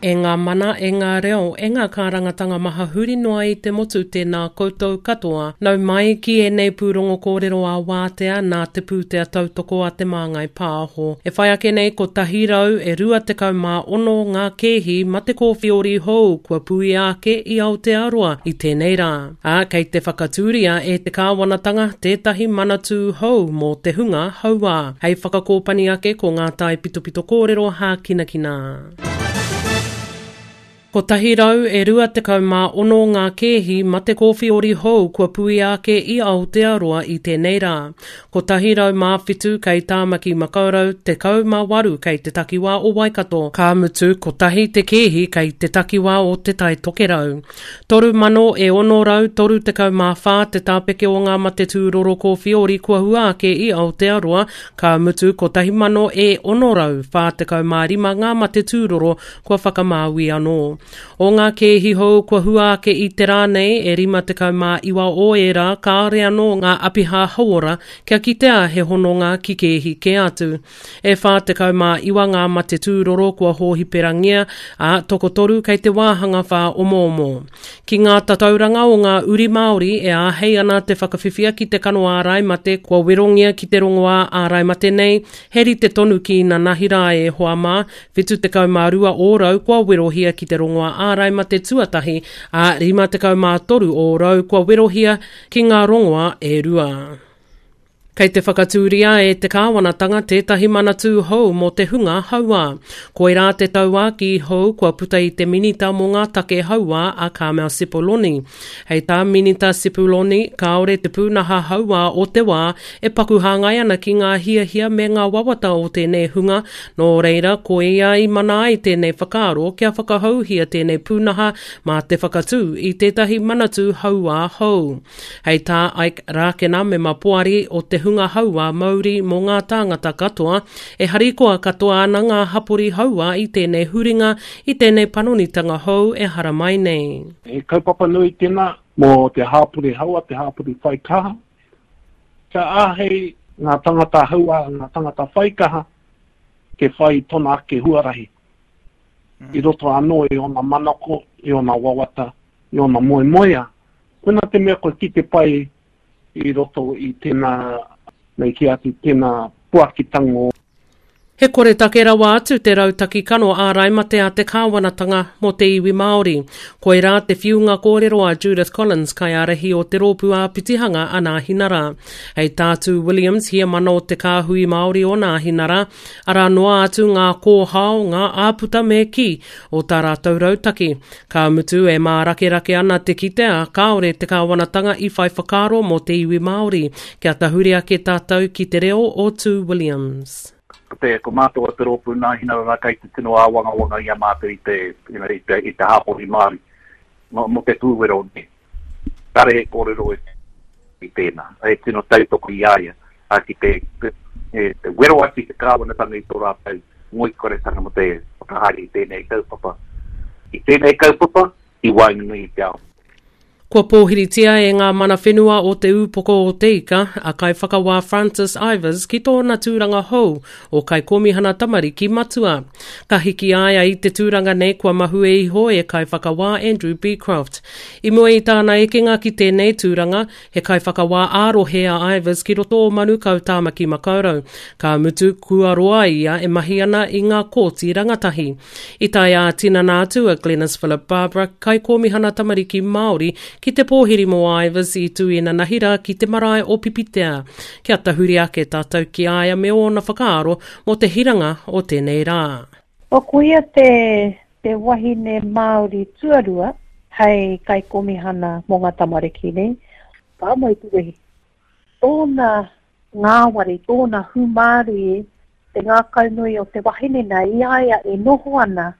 E ngā mana, e ngā reo, e ngā kārangatanga maha huri noa i te motu tēnā koutou katoa. Nau mai ki ēnei pūrongo kōrero ā-wātea nā Te Pūtea Tautoko a Te Māngai Pāho. E whai ake nei 126 ngā kēhi mate kōwhiori hou kua puia ake i Aotearoa i tēnei rā. Ā, kei te whakatūria e te kāwanatanga tētahi manatū hou mō te hunga hauā. Hei whakakōpani ake ko ngā taipitopito kōrero hākinakina. 126 ngā kēhi mate kōwhiori hou kua puia ake i Aotearoa i tēnei rā. 107 kei Tāmaki Makaurau, 18 kei te takiwā o Waikato, ka mutu kotahi te kēhi kei te takiwā o Te Tai Tokerau. 3,634 te tāpeke o ngā mate tūroro kōwhiori kua hua ake i Aotearoa, ka mutu 1,645 ngā mate tūroro kua whakamāui anō. O ngā kēhi hou kua hua ake i te rā nei, e 59 o ērā kāore anō ngā apiha hauora kia kitea he hononga ki kēhi kē atu. E 49 ngā mate tūroro kua hōhiperangia, ā, tokotoru kei te wāhanga whāomoomo. Ki ngā tatauranga o ngā uri Māori e āhei ana te whakawhiwhia ki te kano ārai mate kua werongia ki te rongoā ārai mate nei, he rite tonu ki inanahi rā e hoa mā, 72 ōrau kua werohia ki te rongoā ārai mate tuatahi, ā, 53 ōrau kua werohia ki ngā rongoā e rua. Kei te whakatūria e te kāwanatanga tētahi manatū hou mō te hunga hauā. Koirā te tauākī hou kua puta i te Minita mō ngā Take Hauā a Carmel Cipollone. Hei tā Minita Cipollone, kāore te pūnaha hauā o te wā e paku hāngai ana ki ngā hiahia me ngā wawata o tēnei hunga, nō reira, koia i mana ai tēnei whakaaro kia whakahouhia tēnei pūnaha mā te whakatū i tētahi manatū hauā hou. Hei tā Ike Rākena, mema poari o te hunga hauā mauri mō ngā tāngata katoa, e harikoa katoa ana ngā hapori hauā i tēnei huringa, i tēnei panonitanga hou e haramai nei. He kaupapa nui tēnā mō te hāpori hauā, te hāpori whai kaha. Kia āhei ngā tangata hauā, ngā tangata whai kaha te whai i tona ake huarahi i roto anō i ōna manako, i ōna wawata, i ōna moemoeā. Koina te mea kua kite pai i roto i tena, me ki atu, tena puakitanga o. He koretake rawa atu te rautaki kano ārai mate a te kāwanatanga mō te iwi Māori. Koirā te whiunga kōrero a Judith Collins, kaiārahi o te rōpū āpitihanga a Nāhinara. Hei tā Tū Williams, heamana o te Kāhui Māori o Nāhinara, arā noa atu ngā kōhao, ngā āputa me kī, o tā rātou rautaki. Ka mutu, e mārakerake ana te kitea, kāore te kāwanatanga i whai whakaaro mō te iwi Māori. Kia tahuri ake tātou ki te reo o Tū Williams. Ko te, ko mātou a Te Rōpū Nāhinara kei te tino āwangawanga i a mātou i te, you know, i te, i te hāpori Māori mō, mō te pūwero nei. Kāre he kōrero i, i tēnā. He tino tautoko i a ia, ā, ki te, te, te wero atu i te kāwanatanga i tō rātou ngoikoretanga mō te whakahaere i tēnei kaupapa, i tēnei kaupapa i waenganui i te ao. Kua pōhiritia e ngā mana whenua o Te Ūpoko o Te Ika a Kaiwhakawā Francis Ivers ki tōna tūranga hou o Kaikōmihana Tamariki Matua. Ka hiki a ia i te tūranga nei kua mahue iho e Kaiwhakawā Andrew Becroft. I mua i tāna ekenga ki tēnei tūranga, He kaiwhakawā ā-rohe a Ivers ki roto o Manukau Tāmaki Makaurau, ka mutu kua roa ia e mahi ana i ngā kōti rangatahi. I tae ā-tinana atu a Glenis Philip Barbara, Kaikōmihana Tamariki Māori, ki te pōhiri mō Ivers i tū inanahi rā ki te marae o Pipitea. Kia tahuri ake tātou ki a ia me ōna whakaaro mō te hiranga o tēnei rā. O koia te te wahine Māori tuarua hei kaikomihana mō ngā tamariki nei, pā mai te wehi. Tōna ngāwari, tōna hūmārie, te ngākaunui o te wahine nei i a ia e noho ana,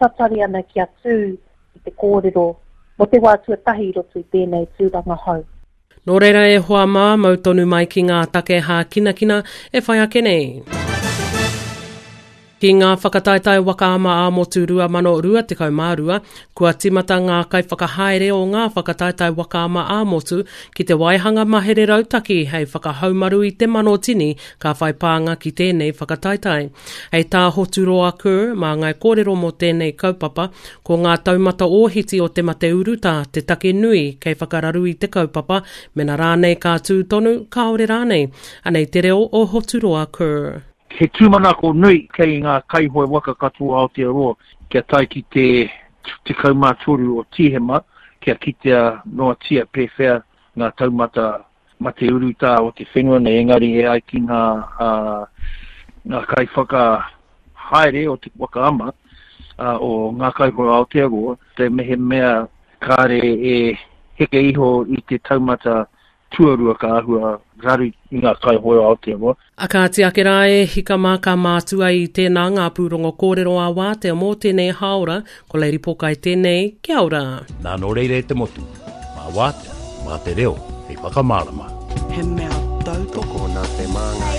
tatari ana kia tū ki te kōrero mō te wā tuatahi i roto i tēnei tūranga hou. Nō reira e hoa mā, mau tonu mai ki ngā take hākinakina e whai ake nei. Ki. Ki ngā whakataetae waka ama ā-motu 2022, kua tīmata ngā kaiwhakahaere o ngā whakataetae waka ama ā-motu ki te waihanga mahere rautaki hei whakahaumaru i te manotini ka whai pānga ki tēnei whakataetae. Hei tā Hoturoa Kerr, māngai kōrero mō tēnei kaupapa, ko ngā taumata ōhiti o te mate urutā te take nui kei whakararu i te kaupapa, mena rānei ka tū tonu, kāore rānei. Anei te reo o Hoturoa Kerr. He tūmanako nui kei ngā kaihoe waka katoa o Aotearoa kia tae ki te 13 o Tīhema kia kitea noatia pēwhea ngā taumata mate urutā o te whenua nei, engari e ai ki ngā ngā kaiwhakahaere o te waka ama o Ngā Kaihoe Aotearoa, te mehemea kāre e heke iho i te taumata tuarua ka āhua raru i ngā kaihoe o Aotearoa. A kāti ake rā e hika mā ka mātua i tēnā ngā pūrongo kōrero ā wātea mō tēnei hāora, ko Lady Pokai tēnei, kia ora. Nā nō reira e te motu, mā wātea, mā te reo hei whakamārama. He mea tautoko nā te Māngai.